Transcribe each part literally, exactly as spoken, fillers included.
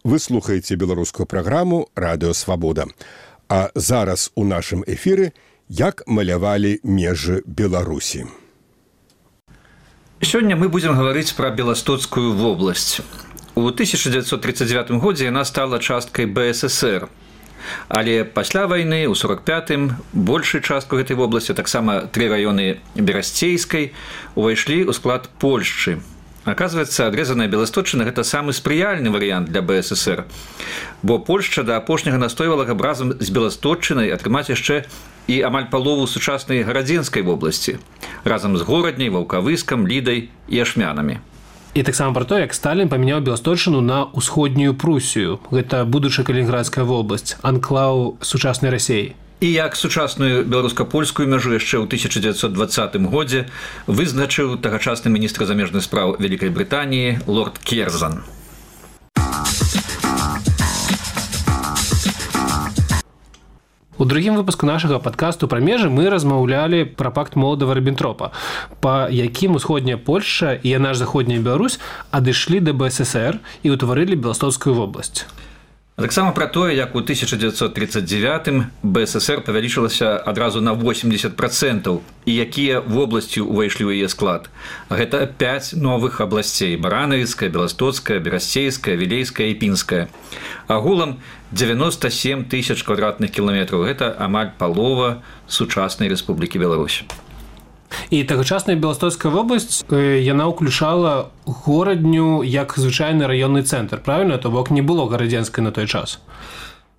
Вы слухаеце беларускую праграму «Радыё Свабода». А зараз у нашым эфіры «Як малявалі межы Беларусі». Сёння мы будзем гаварыць пра Беластоцкую вобласць. У тысяча дзевяцьсот тридцать девятым годзе яна стала часткай бэ эс эсэр. Але пасля вайны, у сорок пятым, большую частку гэтай вобласці, таксама тры раёны Берасцейскай, увайшлі ў склад Польшчы. Оказывается, адрезаная Беласточчына – гэта самы спрыяльны варыянт для бэ эс эсэр, бо Польшча да апошняга настойвала, каб разам з Беласточчынай атрымаць яшчэ і амаль палову сучаснай гарадзенскай вобласці, разам з Горадняй, Ваўкавыскам, Лідай і Ашмянамі. І таксама пра то, як Сталін памяняў Беласточчыну на ўсходнюю Прусію. Гэта будучая Калінінградская вобласць, анклаў сучаснай Расіі. І як сучасную беларуска-польскую мяжу яшчэ ў тысяча дзевяцьсот двадцатым годзе вызначыў тагачасны міністр замежных спраў Вялікай Брытаніі лорд Керзан. У другім выпуску нашага падкасту пра межы мы размаўлялі пра пакт Молотава-Ріббентропа, па якім усходняя Польшча і яна ж заходняя Беларусь адышлі да бэ эс эсэр і ўтварылі Беластоцкую вобласць. Таксама пра тое, як у тысяча дзевяцьсот тридцать девятым бэ эс эсэр павялічылася адразу на восемьдесят процентов і якія вобласці ўвайшлі ў яе склад. Гэта пяць новых абласцей: Баранавіцкая, Беластоцкая, Берасцейская, Вілейская і Пінская. Агулам девяносто семь тысяч квадратных кіламетраў. Гэта амаль палова сучаснай Рэспублікі Беларусь. І тагачасная Беластоцкая вобласць, яна ўключала Горадню як звычайны раённы цэнтр, правильно? То бок не было гарадзенскай на той час.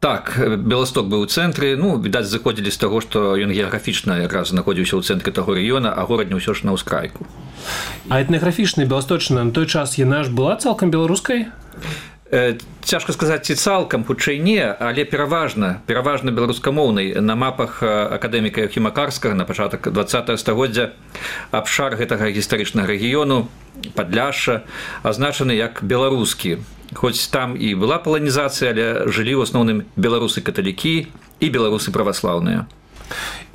Так, Беласток быў у цэнтры, ну, відаць, заходзілі з таго, што ён геаграфічна якраз знаходзіўся ў цэнтры таго раёна, а Горадня ўсё ж на ўскрайку. А этнаграфічная Беласточчына на той час яна ж была цалкам беларускай? Цяжка сказаць, ці цалкам, хутчэй не, але пераважна, пераважна беларускамоўнай. На мапах акадэміка Яўхіма Карскага на пачатак двадцатага стагоддзя абшар гэтага гістарычнага рэгіёну, Падляшша, азначаны як беларускі. Хоць там і была паланізацыя, але жылі ў асноўным беларусы-каталікі і беларусы праваслаўныя.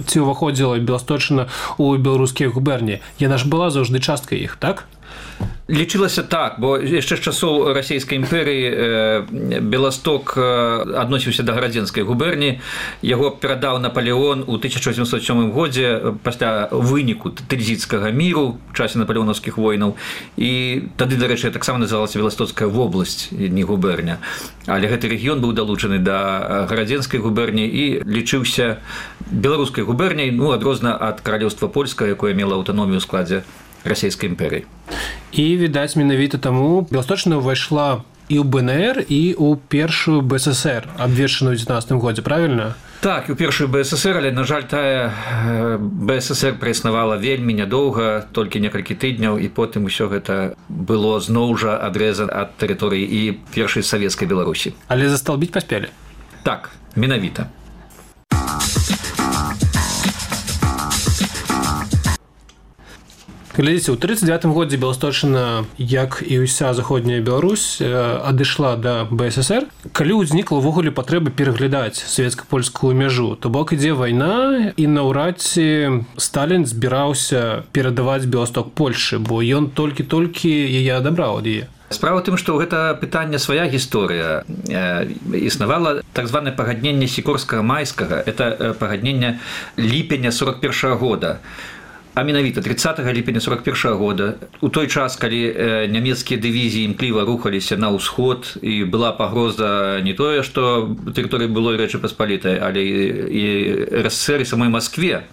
Ці ўваходзіла Беласточчына ў беларускія губерніі? Яна ж была заўжды часткай іх, так? Лічылася так, бо яшчэ з часоў Расійскай імперыі Беласток адносіўся да гарадзенскай губерніі. Яго перадаў Напалеон у тысяча васьмісот сёмым годзе пасля выніку Тыльзіцкага міру ў часе напалеонаўскіх войнаў. І тады, дарэчы, таксама называлася Беластоцкая вобласць, не губерня. Але гэты рэгіён быў далучаны да гарадзенскай губерніі і лічыўся беларускай губерняй, ну, адрозна ад каралеўства польскага, якое мела аўтаномію ў складзе Расійскай імперыі. І, відаць, менавіта таму Беласточчына ўвайшла і ў бэ эн эр, і ў першую бэ эс эс эр, абвешчаную ў дзевятнаццатым годзе, правільна? Так, у першую бэ эс эс эр, але, на жаль, тая бэ эс эс эр праіснавала вельмі нядоўга, толькі некалькі тыдняў, і потым усё гэта было зноў жа адрэзана ад тэрыторыі і першай савецкай Беларусі. Але засталбіць паспелі? Так, менавіта. Глядзіце, у тридцать девятым годзе Беласточчына, як і ўся заходняя Беларусь, адышла да бэ эс эс эр. Калі ўзнікла ўвогуле патрэба пераглядаць савецка-польскую мяжу, то бок ідзе вайна, і наўрад ці Сталін збіраўся перадаваць Беласток Польшчы, бо ён толькі-толькі яе адабраў ад яе. Справа ў тым, што гэта пытанне свая гісторыя. Існавала так званае пагадненне сікорскага-майскага. Это пагадненне ліпеня сорок першага года. А менавіта тридцатага ліпеня сорок першага года, у той час, калі нямецкія дывізіі імкліва рухаліся на ўсход, і была пагроза не тое, што тэрыторыі былой Рэчы Паспалітай, але і эр эс эс эр і самой Маскве,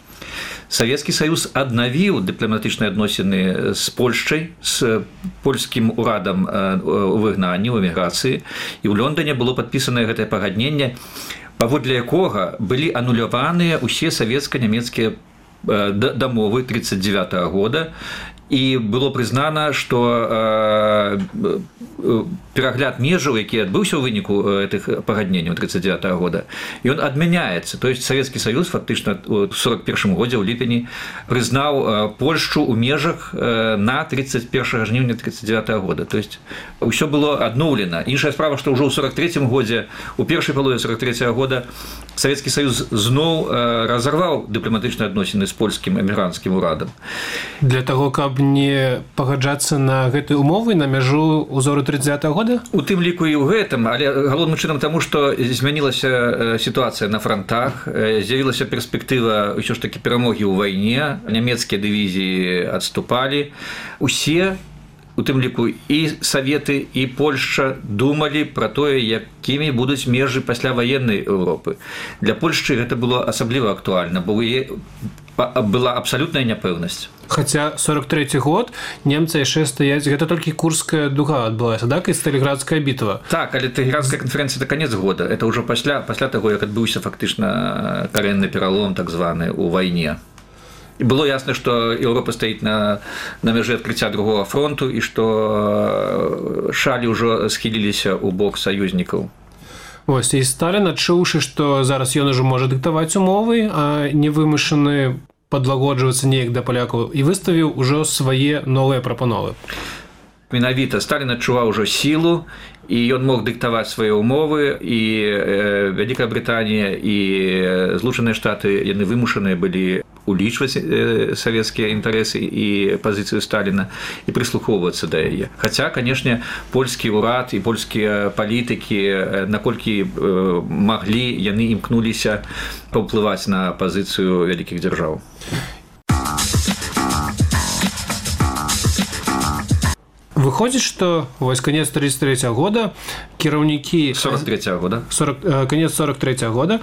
Савецкі Саюз аднавіў дыпламатычныя адносіны з Польшчай, з польскім урадам у выгнанні, у эміграцыі, і ў Лондоне было падпісанае гэтае пагадненне, паводле якога былі ануляваныя ўсе савецка-нямецкія дамовы тридцать девятого года, і было прызнана, што перагляд межаў, які адбыўся ў выніку гэтых пагадненняў тридцать девятого года, ён адмяняецца. То есть Савецкі Саюз фактычна ў сорок першым годзе ў ліпені прызнаў Польшчу ў межах на тридцать першага жніўня тридцать девятого года. То есть ўсё было адноўлена. Іншая справа, што ўжо ў сорок трэцім годзе, у першай палове сорок трэцяга года Савецкі Саюз зноў разарваў дыпламатычныя адносіны з польскім эмігранцкім урадам. Для таго, каб не пагаджацца на гэтыя умовы на мяжу узору тридцатого года? У тым ліку і ў гэтым, але галоўным чынам таму, што змянілася сітуацыя на фронтах, з'явілася перспектыва ўсё ж такі перамогі ў вайне, нямецкія дывізіі адступалі. Усе, у тым ліку і Саветы, і Польшча думалі пра тое, якімі будуць межы пасля ваеннай Еўропы. Для Польшчы гэта было асабліва актуальна, бо была абсалютная няпэўнасць. Хаця сорок трэці год немцы яшчэ стаяць, гэта толькі Курская дуга адбылася, так, і Сталінградская бітва. Так, але Тэлеградская канферэнцыя это канец года, это ўжо пасля пасля таго, як адбыўся фактычна карэнны пералом так званы ў вайне. І было ясна, што Еўропа стаіць на, на мяжы адкрыцця другога фронту і што шалі ўжо схіліліся ў бок саюзнікаў. Вось, і Сталін, адчуўшы, што зараз ён ужо можа дыктаваць умовы, а не вымушаны падлагоджвацца неяк да палякаў, і выставіў ужо свае новыя прапановы. Менавіта Сталін адчуваў ужо сілу, і ён мог дыктаваць свае ўмовы, і Вялікая Брытанія і Злучаныя Штаты, яны вымушаныя былі улічваць савецкія інтарэсы і пазіцыю Сталіна і прыслухоўвацца да яе. Хаця, канешне, польскі ўрад і польскія палітыкі, наколькі маглі, яны імкнуліся паўплываць на пазіцыю вялікіх дзяржаў. Выходзіць, што вось канец тридцать третьего года кіраўнікі сорок третьего года сорок, канец сорок третьего года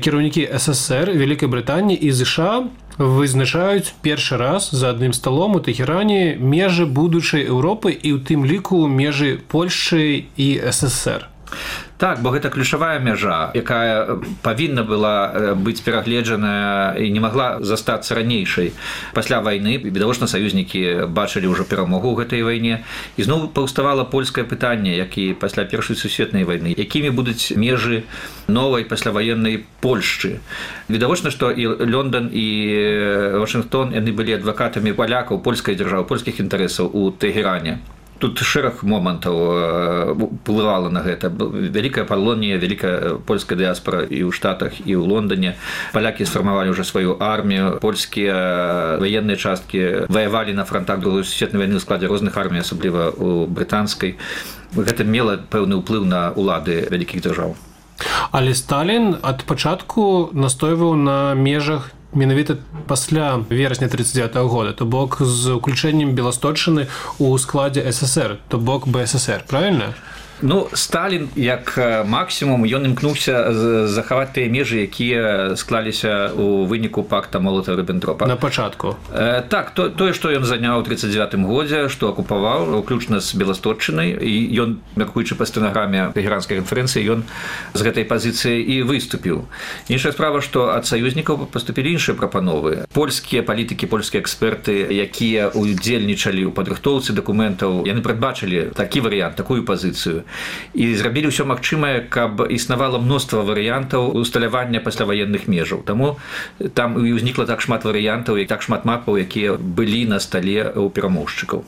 кіраўнікі СССР, Вялікай Брытаніі і ЗША вызначаюць першы раз за адным сталом у Тэхеране межы будучай Еўропы і ў тым ліку межы Польшчы і СССР. Так, бо гэта ключавая мяжа, якая павінна была быць перагледжаная і не магла застацца ранейшай. Пасля вайны, відавочна, саюзнікі бачылі ўжо перамогу ў гэтай вайне, і зноў паўставала польскае пытанне, як і пасля Першай сусветнай вайны, якімі будуць межы новай пасляваеннай Польшчы. Відавочна, што і Лондон, і Вашынгтон, яны былі адвакатамі палякаў, польскай дзяржавы, польскіх інтарэсаў у Тэхеране. Тут шэраг момантаў уплывала на гэта. Вялікая Палонія, вялікая польская дыяспара і ў Штатах, і ў Лондоне. Палякі сфармавалі ўжо сваю армію, польскія ваенныя часткі ваявалі на фронтах Другой сусветнай вайны ў складзе розных армій, асабліва ў брытанскай. Гэта мела пэўны ўплыў на ўлады вялікіх дзяржаў. Але Сталін ад пачатку настойваў на межах менавіта пасля верасня тридцать девятого года, то бок з уключэннем Беласточчыны ў складзе СССР, то бок БССР, правильно? Ну, Сталін, як максімум, ён імкнуўся захаваць тыя межы, якія склаліся ў выніку пакта Молотава-Ріббентропа. На пачатку. Э, так, то, тое, што ён заняў у тридцать девятым годзе, што акупаваў, уключна з Беласточчынай, і ён, мяркуючы па стэнаграме Тэхеранскай канферэнцыі, ён з гэтай пазіцыі і выступіў. Іншая справа, што ад саюзнікаў паступілі іншыя прапановы. Польскія палітыкі, польскія эксперты, якія удзельнічалі ў падрыхтоўцы дакументаў, яны прадбачылі такі варыянт, такую пазіцыю. І зрабілі ўсё магчымае, каб існавала мноства варыянтаў усталявання пасляваенных межаў. Таму там і ўзнікла так шмат варыянтаў і так шмат мапаў, якія былі на стале ў перамоўшчыкаў.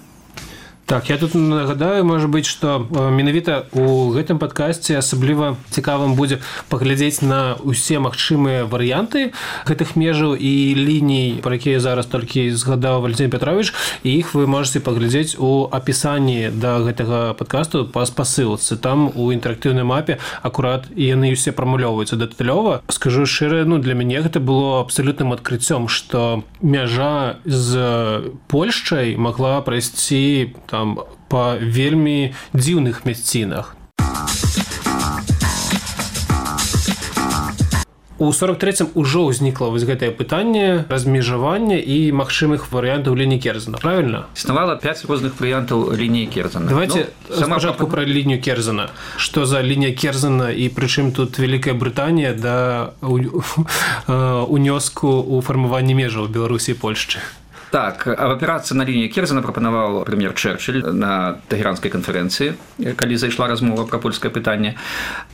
Так, я тут нагадаю, можа быць, што менавіта у гэтым падкасці асабліва цікавым будзе паглядзець на ўсе магчымыя варыянты гэтых межаў і ліній, пра якія зараз толькі згадаў Валентин Петрович, і іх вы можете паглядзець у апісанні да гэтага падкасту па спасылцы. Там у інтэрактыўнай мапе акурат яны ўсе прамулёўваюцца дэталёва. Скажу шчыра, ну, для мяне гэта было абсалютным адкрыццём, што мяжа з Польшчай магла прайсці там па вельмі дзіўных мясцінах. У сорок трэцім ужо ўзнікла вось гэтае пытанне размежавання і магчымых варыянтаў лініі Керзена, правильно? Існавала пяць розных варыянтаў лініі Керзена. Давайте ну, спачатку пра лінію Керзена. Што за лінія Керзена і прычым тут Вялікая Брытанія да унёску ў фармаванні межаў Беларусі і Польшчы? Так, абапірацца на лінію Керзена прапанаваў прэм'ер Чэрчыль на Тэхеранскай канферэнцыі, калі зайшла размова пра польскае пытанне.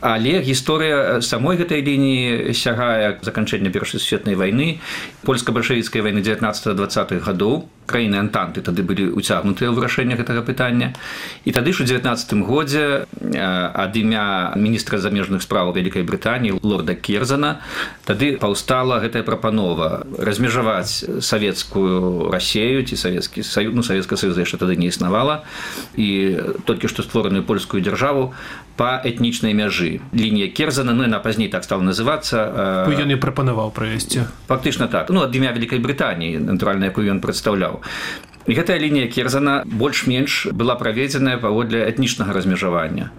Але гісторыя самой гэтай лініі сягае заканчэння Першай сусветнай вайны, польска-бальшавіцкай вайны дзевятнаццатых-дваццатых гадоў. краіны антанты тады былі уцягнутыя ў вырашэнне гэтага пытання. І тады ж у дзевятнаццатым годзе ад імя міністра замежных спраў Вялікай Брытаніі лорда Керзана тады паўстала гэтая прапанова размежаваць савецкую Расею ці савецкі саюз, ну Савецкага Саюза яшчэ тады не існавала, і толькі што створаную польскую дзяржаву па этнічнай мяжы. Лінія Керзана, ну яна пазней так стала называцца. Ён і прапанаваў правесці. Фактычна так. Ну ад імя Вялікай Брытаніі, натуральна, якую ён прадстаўляў. І гэтая лінія Керзана больш-менш была праведзеная паводле этнічнага размежавання.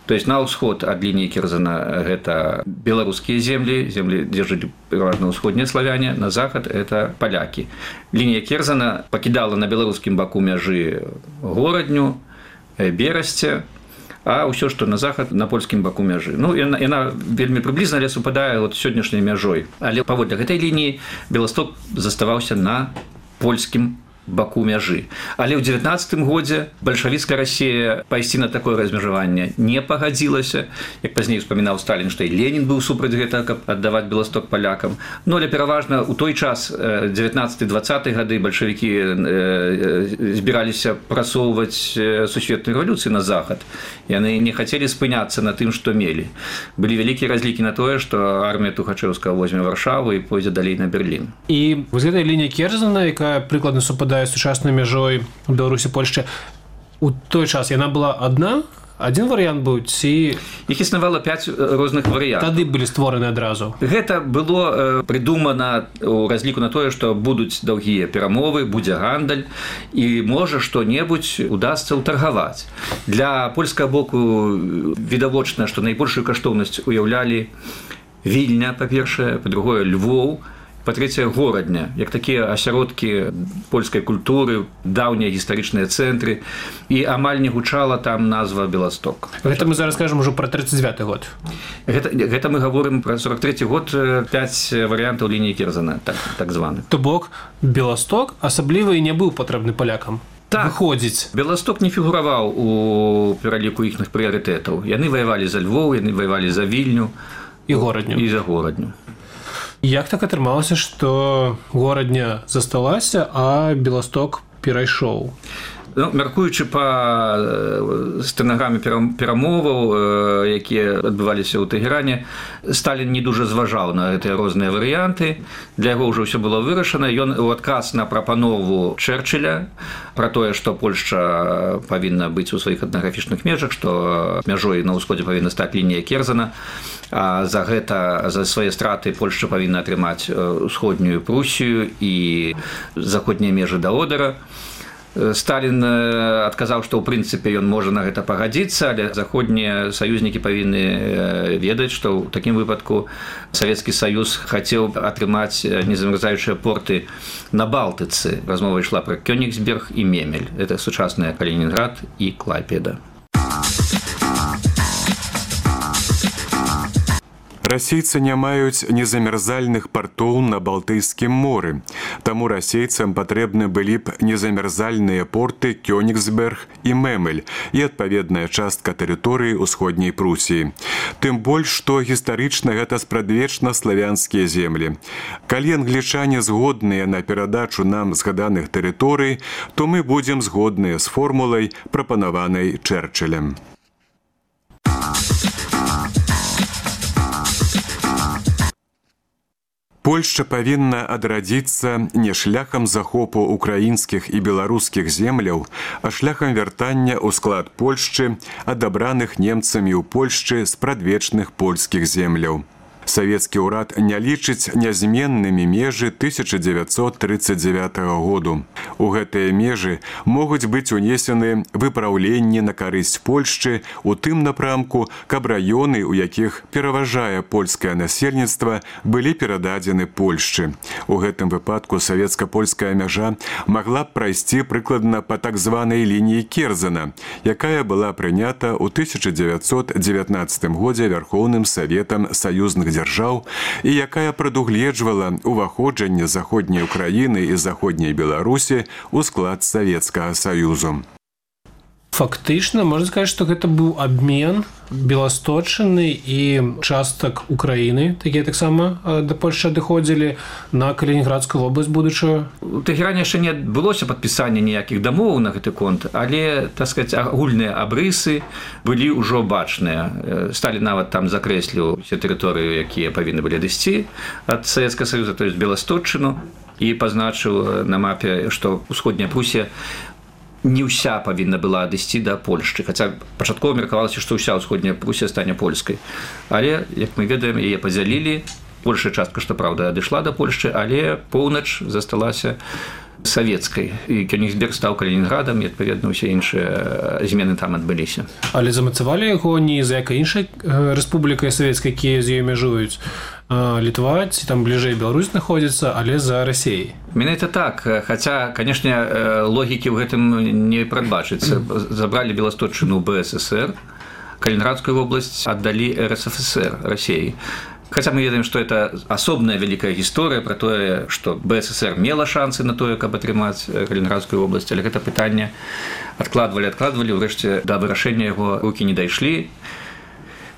То есть на ўсход ад лініі Керзана гэта беларускія землі, землі, дзе жылі пераважна ўсходнія славяне, на захад это палякі. Лінія Керзана пакідала на беларускім баку мяжы Горадню, Берасце, а ўсё, што на захад, на польскім баку мяжы. Ну, яна, яна вельмі прыблізна, але супадае вот сённяшняй мяжой. Але паводле гэтай лініі Беласток заставаўся на польскім баку мяжы. Але ў дзевятнаццатым годзе бальшавіцкая Расія пайсці на такое размежаванне не пагадзілася. Як пазней успамінаў Сталін, што і Ленін быў супраць гэтага, каб аддаваць Беласток палякам. Ну, але пераважна ў той час, дзевятнаццаты-дваццаты гады, бальшавікі збіраліся прасоўваць сусветную рэвалюцыю на захад. Яны не хацелі спыняцца на тым, што мелі. Былі вялікія разлікі на тое, што армія Тухачэўскага возьме Варшаву і пойдзе далей на Берлін. І вось гэтая лінія Керзана, якая прыкладна супадае з сучаснай мяжой Беларусі, Польшчы, у той час яна была адна? Адзін варыянт быў, ці... Іх існавала пяць розных варыянтаў. Тады былі створаны адразу. Гэта было прыдумана ў разліку на тое, што будуць даўгія перамовы, будзе гандаль, і можа што-небудзь удасца ўтаргаваць. Для польскага боку відавочна, што найбольшую каштоўнасць уяўлялі Вільня, па-першае, па-другое, Львоў, па-трэцяе, Горадня, як такія асяродкі польскай культуры, даўнія гістарычныя цэнтры, і амаль не гучала там назва Беласток. Гэта мы зараз кажам ужо пра трыццаць дзевяты год. Гэта, гэта мы гаворым пра сорок трэці год, пяць варыянтаў лініі Керзана, так, так званы. То бок, Беласток асабліва і не быў патрэбны палякам. Так, выходзіць. Беласток не фігураваў у пераліку іхных прыярытэтаў. Яны ваявалі за Львоў, яны ваявалі за Вільню і Горадню. І за Горадню. Як так атрымалася, што Горадня засталася, а Беласток перайшоў? Ну, мяркуючы па стэнаграме перамоваў, якія адбываліся ў Тэгеране, Сталін не дужа зважаў на гэтыя розныя варыянты. Для яго ўжо ўсё было вырашана. Ён у адказ на прапанову Чэрчыля пра тое, што Польшча павінна быць у сваіх этнаграфічных межах, што мяжой на ўсходзе павінна стаць лінія Керзана, а за гэта, за свае страты Польшча павінна атрымаць усходнюю Прусію і заходнія межы да Одера. Сталін адказаў, што ў прынцыпе ён можа на гэта пагадзіцца, але заходнія саюзнікі павінны ведаць, што ў такім выпадку Савецкі Саюз хацеў атрымаць незамярзаючыя порты на Балтыцы. Размова ішла пра Кёнігсберг і Мемель. Гэта сучасныя Калінінград і Клайпеда. Расейцы не маюць незамярзальных партоў на Балтыйскім моры, таму расейцам патрэбны былі б незамярзальныя порты Кёнігсберг і Мемель і адпаведная частка тэрыторыі ўсходняй Прусіі. Тым больш, што гістарычна гэта спрадвечна славянскія землі. Калі англічане згодныя на перадачу нам згаданых тэрыторый, то мы будзем згодныя з формулай, прапанаванай Чэрчылем. Польшча павінна адрадзіцца не шляхам захопу украінскіх і беларускіх земляў, а шляхам вяртання ў склад Польшчы, адабраных немцамі ў Польшчы з прадвечных польскіх земляў. Савецкі ўрад не лічыць нязменнымі межы тысяча дзевяцьсот трыццаць дзевятага году. У гэтыя межы могуць быць унесены выпраўленні на карысць Польшчы у тым напрамку, каб раёны, у якіх пераважае польскае насельніцтва, былі перададзены Польшчы. У гэтым выпадку савецка-польская мяжа магла б прайсці прыкладна па так званай лініі Керзана, якая была прынята ў тысяча дзевяцьсот дзевятнаццатым годзе Вярхоўным Саветам саюзных дзяржаў і якая прадугледжвала ўваходжанне заходняй Украіны і заходняй Беларусі ў склад Савецкага Саюзу. Фактычна можна сказаць, што гэта быў абмен беласточчыны і частак Украіны, такія таксама да Польшчы адыходзілі на Калінінградскую вобласць будучую. У Тэгеране яшчэ не адбылося падпісання ніякіх дамоваў на гэты конт, але, так сказаць, агульныя абрысы былі ўжо бачныя. Сталін нават там закрэсліў усе тэрыторыі, якія павінны былі адысці ад Савецкага Саюза, то есть Беласточчыну, і пазначыў на мапе, што ўсходняя Прусія не ўся павінна была адысці да Польшчы, хаця пачаткова меркавалася, што ўся ўсходняя Прусія стане польскай. Але, як мы ведаем, яе падзялілі. Большая частка, што праўда, адышла да Польшчы, але поўнач засталася савецкай. І Кёнігсберг стаў Калінінградам, і, адпаведна, усе іншыя змены там адбыліся. Але замацавалі яго не за якай іншай рэспублікай савецкай, якія з ёй мяжуюць. Літва, ці там бліжэй Беларусь знаходзіцца, але за Расіяй. Менавіта так, хаця, канешне, логікі ў гэтым не прадбачыцца. Забралі Беласточчыну ў Бэ Эс Эс Эр, Калінінградскую вобласць аддалі Эр Эс Эф Эс Эр, Расіяй. Хаця мы ведаем, што это асобная вялікая гісторыя пра тое, што Бэ Эс Эс Эр мела шансы на тое, каб атрымаць Калінінградскую вобласць, але гэта пытанне адкладвалі, адкладвалі, урэшце да вырашэння яго рукі не дайшлі.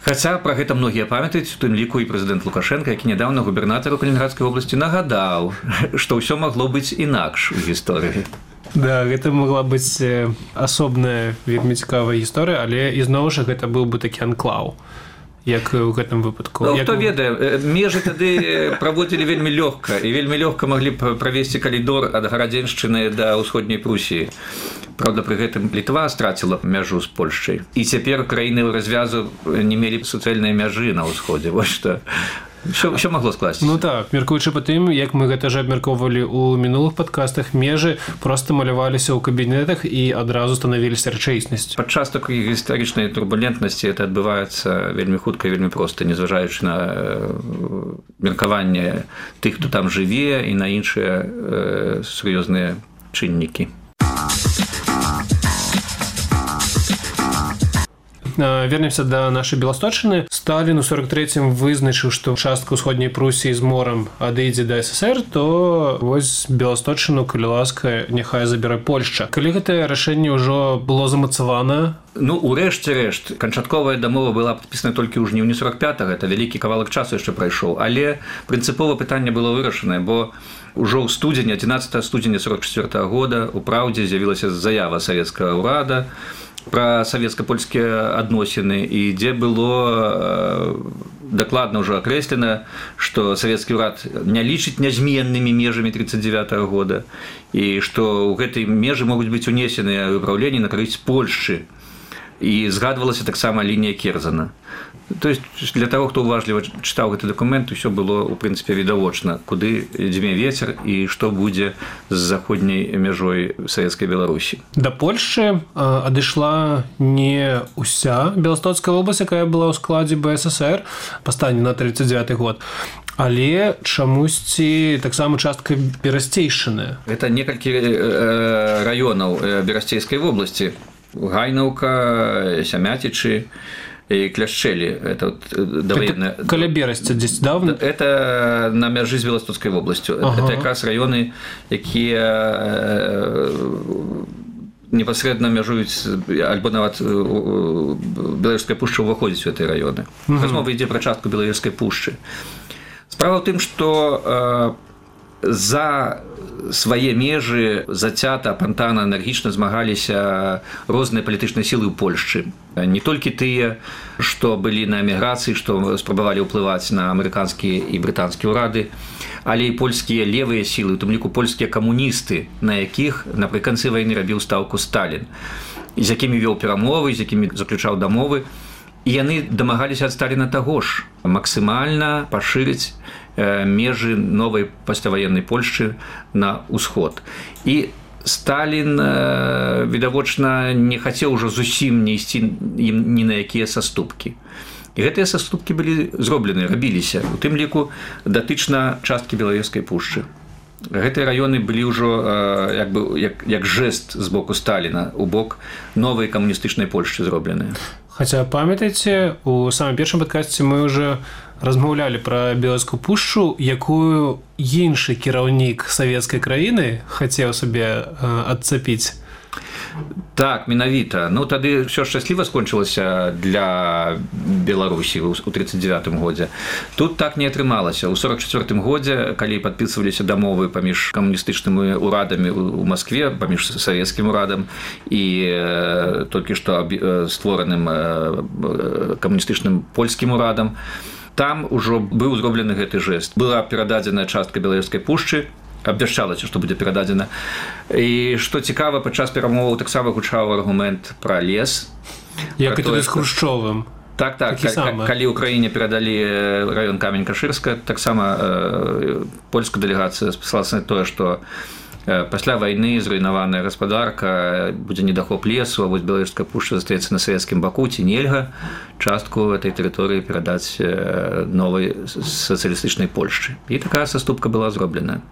Хаця пра гэта многія памятаюць, у тым ліку і прэзідэнт Лукашенка, які нядаўна губернатару Калінінградскай вобласці нагадаў, што ўсё магло быць інакш у гісторыі. Да, гэта магла быць асобная вельмі цікавая гісторыя, але ізноў жа гэта быў бы такі анклаў, як у гэтым выпадку. Ну, як... хто ведае, межы тады праводзілі вельмі лёгка, і вельмі лёгка маглі б правесці калідор ад Гарадзеншчыны да ўсходняй Прусіі. Праўда, пры гэтым Літва страціла мяжу з Польшчай. І цяпер краіны развязу не мелі суцэльныя мяжы на ўсходзе. Вось што. Що, що магло скласціся? Ну так, меркуючы па тым, як мы гэта ж абмяркоўвалі ў мінулых падкастах, межы проста маляваліся ў кабінетах і адразу станавіліся рэчаіснасцю. Падчас такой гістарычнай турбулентнасці это адбываецца вельмі хутка і вельмі проста, незважаючы на меркаванне тых, хто там жыве, і на іншыя э, сур'ёзныя чыннікі. Вернемся да нашай Беласточчыны. Сталін у сорок трэцім вызначыў, што частка ўсходняй Прусіі з морам адыдзе да Эс Эс Эр, то вось Беласточчыну, калі ласка, няхай забярэ Польшча. Калі гэтае рашэнне ўжо было замацавана? Ну, урэшце рэшт, канчатковая дамова была падпісана толькі ў жніўні сорок пятага, это вялікі кавалак часу яшчэ прайшоў, але прынцыпова пытанне было вырашанае, бо ўжо ў студзені, адзінаццатага студзеня сорок чацвёртага года у «Праўдзе» з'явілася заява савецкага ўрада пра савецка-польскія адносіны, і дзе было дакладна ўжо акрэслена, што савецкі ўрад не лічыць нязменнымі межамі тридцать девятого года, і што ў гэтай межы могуць быць унесеныя выпраўленні на карысць Польшчы. І згадвалася таксама лінія Керзана. То есть для таго, хто уважліва чытаў гэты дакумент, усё было, у прынцыпе, відавочна, куды дзьме вецер і што будзе з заходняй мяжой савецкай Беларусі. Да Польшчы адышла не ўся Беластоцкая вобласць, якая была ў складзе Бэ Эс Эс Эр па стане на тридцать девяты год, але чамусьці таксама частка Берасцейшчыны. Гэта некалькі раёнаў Берасцейскай вобласці. Гайнаўка, Сямятічы и Кляшчэлі. Это вот довоенная... Каля Берасця здесь давно? Это на мяжы з Беластоцкай вобласцю. Ага. Это якраз раёны, якія непасрэдна мяжуюць, альбо нават Беларуская пушча ўваходзіць у гэтай раёны. Угу. Размова ідзе пра частку Беларускай пушчы. Справа ў тым, што за свае межы зацята, апантана, энергічна змагаліся розныя палітычныя сілы ў Польшчы. Не толькі тыя, што былі на эміграцыі, што спрабавалі ўплываць на амерыканскія і брытанскія ўрады, але і польскія левыя сілы, у тым ліку польскія камуністы, на якіх напрыканцы вайны рабіў стаўку Сталін, з якімі вёў перамовы, з якімі заключаў дамовы. І яны дамагаліся ад Сталіна таго ж, максімальна пашырыць межы новай пасляваеннай Польшчы на ўсход. І Сталін, відавочна, не хацеў ужо зусім не ісці ім ні на якія саступкі. І гэтыя саступкі былі зроблены, рабіліся, у тым ліку датычна часткі Белавежскай пушчы. Гэтыя раёны былі ўжо як бы, як, як жэст з боку Сталіна у бок новай камуністычнай Польшчы зробленыя. Хаця, памятаеце, у самым першым падкасці мы ўжо размаўлялі пра Белавежскую пушчу, якую іншы кіраўнік савецкай краіны хацеў сабе адцапіць. Так, менавіта. Ну, тады ўсё шчасліва скончылася для Беларусі ў тридцать девятым годзе. Тут так не атрымалася. У сорок четвёртым годзе, калі падпісваліся дамовы паміж камуністычнымі ўрадамі ў Маскве, паміж савецкім урадам і э, толькі што створаным э, камуністычным польскім урадам, там ужо быў зроблены гэты жэст. Была перададзеная частка Беларуськай пушчы, абвяшчалася, што будзе перададзена. І што цікава, падчас перамоваў таксама гучаў аргумент пра лес. Як і тады з Хрушчовым. Так, так. Калі ўкраіне перадалі раён Камень-Кашырска, таксама э, польская дэлегацыя спасалася на тое, што пасля вайны зруйнаваная гаспадарка, будзе недахоп лесу, а вось Беларуская пушча застаецца на савецкім баку, ці нельга частку этой тэрыторыі перадаць новай сацыялістычнай Польшчы. І такая саступка была зроблена.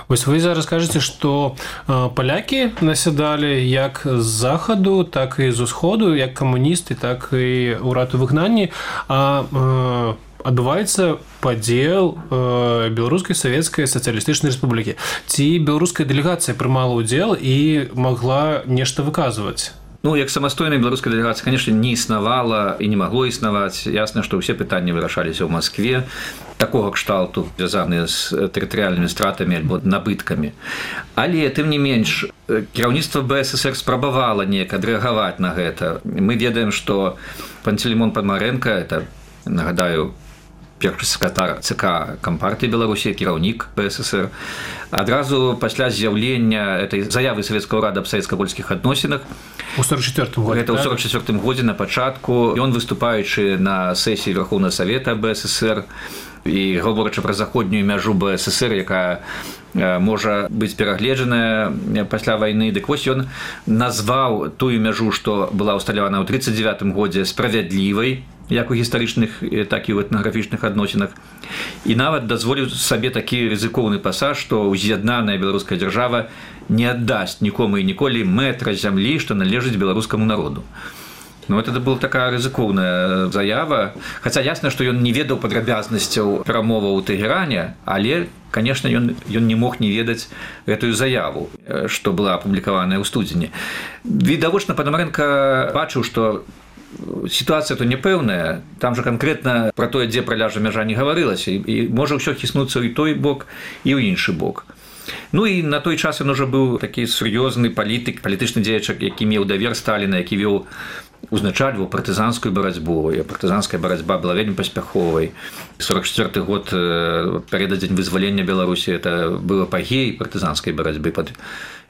Вось вы зараз кажаце, што палякі насядалі як з захаду, так і з усходу, як камуністы, так і ўрад у выгнанні, а адбываецца падзел э, беларускай савецкай сацыялістычнай рэспублікі. Ці беларуская дэлегацыя прымала ўдзел і магла нешта выказваць? Ну, як самастойная беларуская дэлегацыя, конечно, не існавала і не магло існаваць. Ясна, што ўсе пытанні вырашаліся ў Маскве, такога кшталту, звязаныя з тэрытарыяльнымі стратамі альбо набыткамі. Але, тым не менш, кіраўніцтва БССР спрабавала неяк адрэагаваць на гэта. Мы ведаем, што Пантелеймон Падмарэнка, это, нагадаю, першы сакратар ЦК Кампартыі Беларусі, кіраўнік БССР, адразу пасля з'яўлення этой заявы савецкага ўрада аб савецка-польскіх адносінах у сорок четвёртым годзе. Гэта ў сорок четвёртым годзе на пачатку. Ён, выступаючы на сесіі Верхоўнага Савета БССР і гаворачы пра заходнюю мяжу БССР, якая можа быць перагледжаная пасля вайны, дык вось ён назваў тую мяжу, што была ўсталявана ў тридцать девятым годзе, справядлівай, як у гістарычных, так і ў этнаграфічных адносінах. І нават дазволіў сабе такі рызыкоўны пасаж, што уз'яднаная беларуская дзяржава не аддасць нікому і ніколі метра зямлі, што належыць беларускаму народу. Ну, это была такая рызыкоўная заява. Хаця ясна, што ён не ведаў падрабязнасцяў перамоваў у Тэгеране, але, конечно, ён, ён не мог не ведаць гэтую заяву, што была апублікаваная ў студзені. Відавочна, Падмарэнка бачыў, што сітуацыя то непэўная, там жа канкрэтна пра тое, дзе праляжа мяжа, не гаварылася, і, і можа ўсё хіснуцца і той бок, і ў іншы бок. Ну і на той час ён ужо быў такі сур'ёзны палітык, палітычны дзеяч, які меў давер Сталіна, які вёў, узначальваў партызанскую барацьбу, і партызанская барацьба была вельмі паспяховай. сорок четвёрты год, перададзень вызвалення Беларусі, это быў апагей партызанскай барацьбы.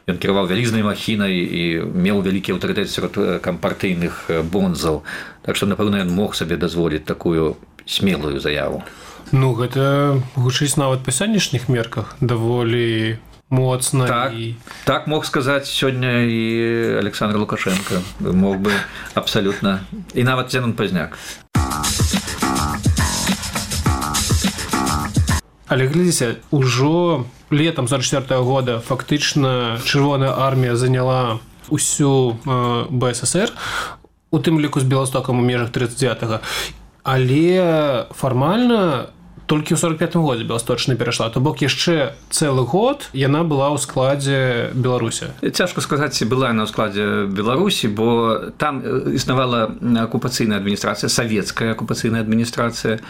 Ён кіраваў вялізнай махінай і меў вялікі аўтарытэт сярод кампартыйных бонзаў. Так што, напэўна, ён мог сабе дазволіць такую смелую заяву. Ну, гэта гучыць нават па сённяшніх мерках даволі моцна. Так, і... так мог сказаць сёння і Александр Лукашенко. Мог бы абсалютна. І нават Зенон Пазняк. Але глядзіце, ужо летом сорок четвёртого года фактычна чырвоная армія заняла усю э, БССР, у тым ліку з Беластокам у межах тридцать девятого. Але фармальна толькі ў сорок пятым годзе Беласточная перайшла, то бок яшчэ цэлы год яна была ў складзе Беларусі. Цяжка сказаць, ці была яна ў складзе Беларусі, бо там існавала акупацыйная адміністрацыя, савецкая акупацыйная адміністрацыя.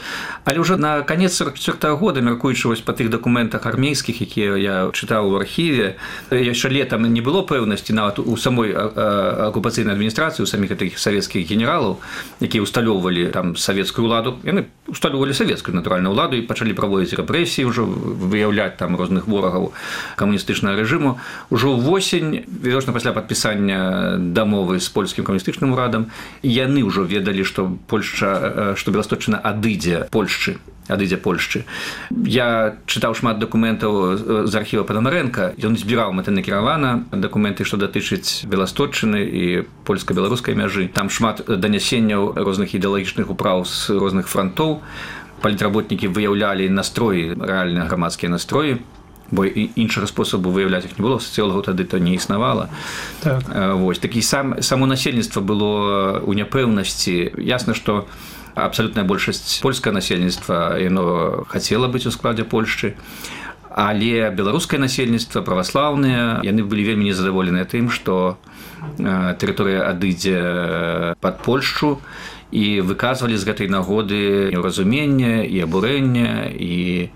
Але ўжо на канец сорок четвёртого года, мяркуючы вось па тых дакументах армейскіх, якія я чытаў у архіве, яшчэ летам не было пэўнасці нават у самой акупацыйнай адміністрацыі, у саміх такіх савецкіх генералаў, якія ўсталёўвалі там савецкую ўладу. Яны ўсталёўвалі савецкую, натуральна, ўладу, і пачалі праводзіць рэпрэсіі, ўжо выяўляць там розных ворагаў камуністычнага рэжыму. Ужо ўвосень, відавочна пасля падпісання дамовы з польскім камуністычным урадам, яны ўжо ведалі, што Польшча, што Беласточчына адыдзе Польшчы, адыдзе Польшчы. Я чытаў шмат дакументаў з архіва Падмарэнка, ён збіраў мэтанакіравана дакументы, што датычаць Беласточчыны і польска-беларускай мяжы. Там шмат данясенняў розных ідэалагічных управ з розных франтоў. Палітработнікі выяўлялі настроі, рэальныя грамадскія настроі, бо іншага спосабу выяўляць іх не было, сацыёлагаў тады то не існавала. Так. Вось, такі сам, само насельніцтва было ў няпэўнасці. Ясна, што абсалютная большасць польскае насельніцтва, яно хацела быць у складзе Польшчы, Але беларускае насельніцтва праваслаўныя, яны былі вельмі незадаволеныя тым, што тэрыторыя адыдзе пад Польшчу, і выказвалі з гэтай нагоды неўразумення і абурэння, і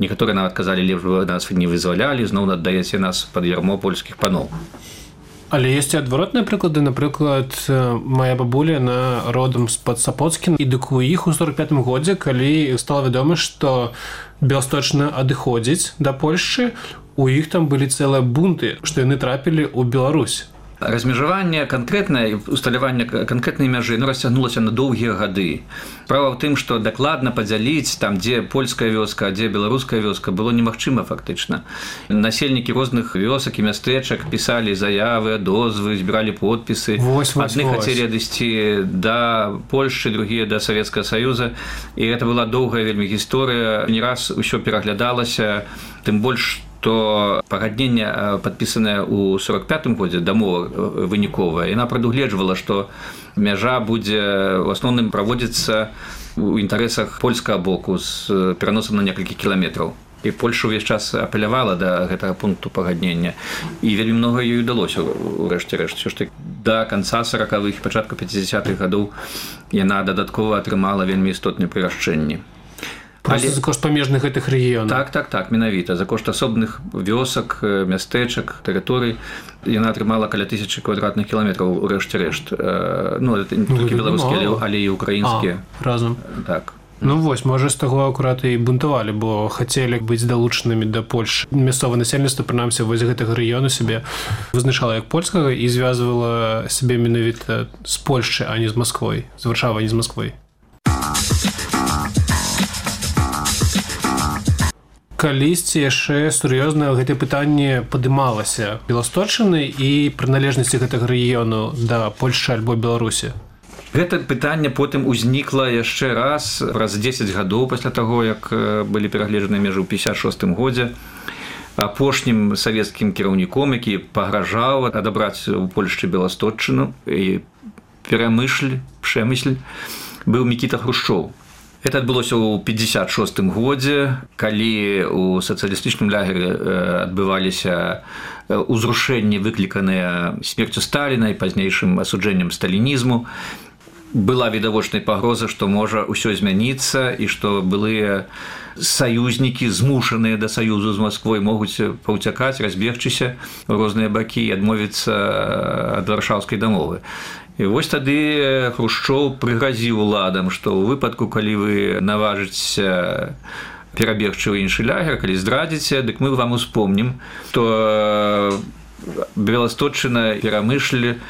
некаторыя нават казалі, лепш бы нас не вызвалялі, зноў аддаеце нас пад ярмо польскіх паноў. Але ёсць і адваротныя прыклады. Напрыклад, мая бабуля на родам з-пад Сапоцкін, і дык у іх у сорок пятым годзе, калі стала вядома, што Беласточна адыходзіць да Польшчы, у іх там былі цэлыя бунты, што яны трапілі ў Беларусь. Размежаванне канкрэтнае, усталяванне канкрэтнай мяжы, ну, расцягнулася на доўгія гады. Справа ў тым, што дакладна падзяліць там, дзе польская вёска, а дзе беларуская вёска, было немагчыма фактычна. Насельнікі розных вёсак і мястэчак пісалі заявы, дозвы, збіралі подпісы. Вось, вось, Адны вось. хацелі адысці да Польшчы, другія да Савецкага Саюза. І гэта была доўгая вельмі гісторыя. Не раз усё пераглядалася, тым больш, то пагадненне, падпісанае ў сорок пятым годзе, дамова выніковая, яна прадугледжвала, што мяжа будзе ў асноўным праводзіцца ў інтарэсах польскага боку з пераносам на некалькі кіламетраў. І Польша ўвесь час апелявала да гэтага пункту пагаднення. І вельмі многа ёй удалося ў рэшце рэшт. Усё ж такі да канца саракавых і пачатку пяцідзясятых гадоў яна дадаткова атрымала вельмі істотныя прырашчэнні. Просто Але... за кошт памежных гэтых рэгіёнаў. Так, так, так, менавіта. За кошт асобных вёсак, мястэчак, тэрыторый яна атрымала каля тысячы квадратных кіламетраў у рэшце рэшт. Ну, это не толькі беларускія, але і украінскія. А, разам. Так. Ну вось, можа, з таго акурат і бунтавалі, бо хацелі быць далучанымі да Польшы. Мясцовае насельніцтва, прынамсі, вось гэтага рэгіёну сябе вызначала як польскага і звязвала сябе менавіта з Польшчы, а не з Масквой, з Варшавай, а не з Масквой. Калісьці яшчэ сур'ёзна гэтае пытанне падымалася Беласточчыны і прыналежнасці гэтага рэгіёну да Польшчы альбо Беларусі. Гэта пытанне потым узнікла яшчэ раз, праз дзесяць гадоў пасля таго, як былі перагледжаныя межы ў пятьдесят шостым годзе. Апошнім савецкім кіраўніком, які пагражаў адабраць у Польшчы Беласточчыну і перамышль, Пшэмысль, быў Мікіта Хрушчоў. Это адбылося ў пятьдесят шостым годзе, калі ў сацыялістычным лагеры адбываліся ўзрушэнні, выкліканыя смерцю Сталіна і пазнейшым асуджэннем сталінізму. Была відавочная пагроза, што можа ўсё змяніцца і што былыя саюзнікі, змушаныя да саюзу з Масквой, могуць паўцякаць, разбегчыся ў розныя бакі і адмовіцца ад варшаўскай дамовы. І вось тады Хрушчоў прыгразіў уладам, што ў выпадку, калі вы наважыцеся перабегчы ў іншы лагер, калі здрадзіце, дык мы вам успомнім, што Беласточчына, Перамышль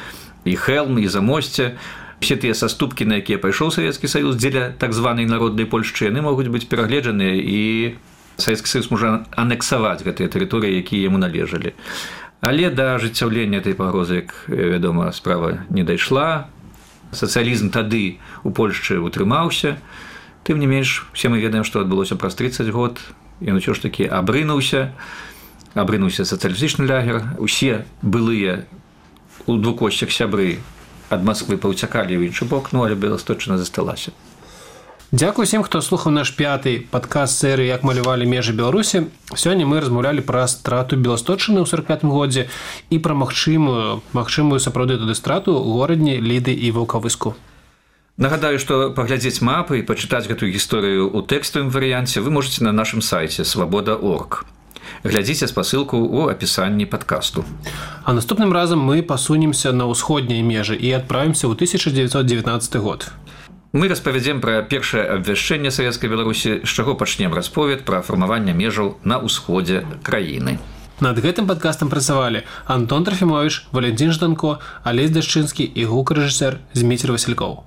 і Хэлм, і Замосце, все тыя саступкі, на якія пайшоў Савецкі Саюз дзеля так званай народнай Польшчы, яны могуць быць перагледжаныя, і Савецкі Саюз можа анексаваць гэтыя тэрыторыі, якія яму належалі. Але да ажыццяўлення этой пагрозы, як вядома, справа не дайшла. Сацыялізм тады у Польшчы утрымаўся. Тым не менш, усе мы ведаем, што адбылося праз трыццаць год. Ён усё ж такі абрынуўся. Абрынуўся сацыялістычны лагер. Усе былыя у двукосцях сябры ад Масквы паўцякалі ў іншы бок, ну, але Беласточчына засталася. Дзякуй усім, хто слухаў наш пяты падкаст серыі «Як малявалі межы Беларусі». Сёння мы размаўлялі пра страту Беласточчыны ў сорок пятым годзе і пра магчымую, магчымую сапраўды туды страту ў горадні Ліды і Ваўкавыску. Нагадаю, што паглядзець мапы і пачытаць гэтую гісторыю ў тэкставым варыянце вы можаце на нашым сайце свабода точка орг. Глядзіце спасылку ў апісанні падкасту. А наступным разам мы пасунемся на ўсходнія межы і адправімся ў тысяча дзевяцьсот дзевятнаццаты год. Мы распавядзем пра першае абвяшчэнне Савецкай Беларусі, з чаго пачнем расповед пра фармаванне межаў на ўсходзе краіны. Над гэтым падкастам працавалі Антон Трафімовіч, Валентин Жданко, Алесь Дашчынскі і гукарэжысэр Зміцер Васількоў.